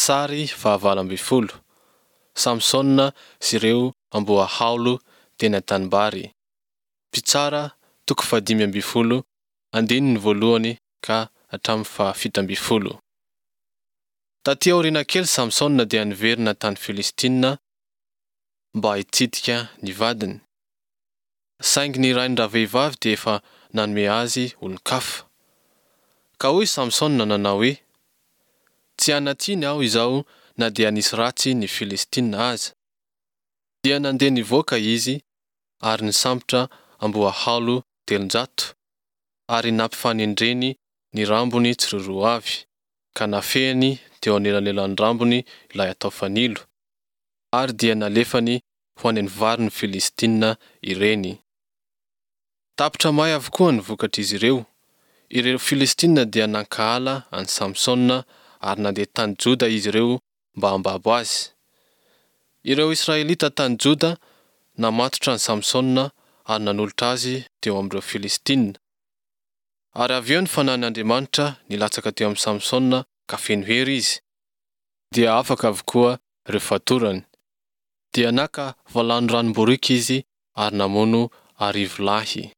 Sary fahavalo ambin'ny folo, Samsona sy ireo amboahaolo teny an-tanimbary. Mpitsara toko fahadimy ambin'ny folo, andininy voalohany ka hatramin'ny fahafito ambin'ny folo. Taty aoriana kely Samsona dia niverina tany Filistina mba hitsidika ny vadiny. Saingy ny rain-dravehivavy dia efa nanome azy olon-kafa. Ka hoy Samsona nanao hoe, Tsy hanan-tsiny aho izao na dia nisy ratsy ny Filistina aza. Dia nandeha nivoaka izy ary nisambotra amboahaolo 300, ary nampifanendreny ny rambony tsiroaroa avy, ka nafehiny teo anelanelan'ny rambony ilay atao fanilo, ary dia nalefany ho any amin'ny varin'ny Filistina ireny. Tapitra may avokoa ny vokatr'izy ireo. Ireo Filistina dia nankahala an'i Samsona ary nandeha tany Joda izy ireo mba hambabo azy. Ireo Israelita tany Joda namatotra an'i Samsona ary nanolotra azy teo amin'ireo Filistina. Ary avy eo ny Fanahin' Andriamanitra nilatsaka teo amin'i Samsona ka feno hery izy. Dia afaka avokoa ireo fatorany. Dia naka valanoranom-boriky izy ary namono arivo lahy.